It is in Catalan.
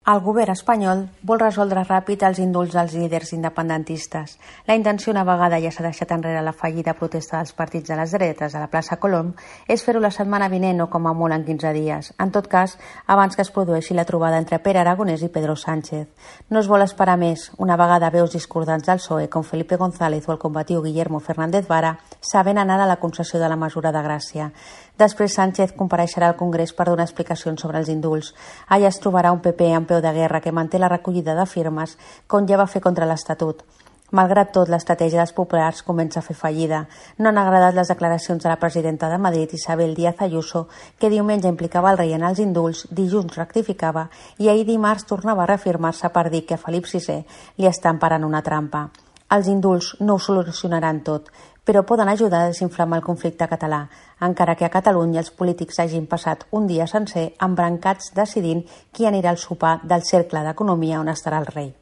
El govern espanyol vol resoldre ràpid els indults dels líders independentistes. La intenció, una vegada ja s'ha deixat enrere la fallida protesta dels partits de les dretes a la plaça Colom, és fer-ho la setmana vinent o com a molt en 15 dies. En tot cas, abans que es produeixi la trobada entre Pere Aragonès i Pedro Sánchez. No es vol esperar més. Una vegada veus discordants del PSOE, com Felipe González o el combatiu Guillermo Fernández Vara, saben anar a la concessió de la mesura de gràcia. Després Sánchez compareixerà al Congrés per donar explicacions sobre els indults. Allà es trobarà un PP en peu de guerra que manté la recollida de firmes com ja va fer contra l'Estatut. Malgrat tot, l'estratègia dels populars comença a fer fallida. No han agradat les declaracions de la presidenta de Madrid, Isabel Díaz Ayuso, que diumenge implicava el rei en els indults, dilluns rectificava i ahir dimarts tornava a reafirmar-se per dir que a Felip VI li està emparant una trampa. Els indults no ho solucionaran tot, però poden ajudar a desinflamar el conflicte català, encara que a Catalunya els polítics hagin passat un dia sencer embrancats decidint qui anirà al sopar del cercle d'economia on estarà el rei.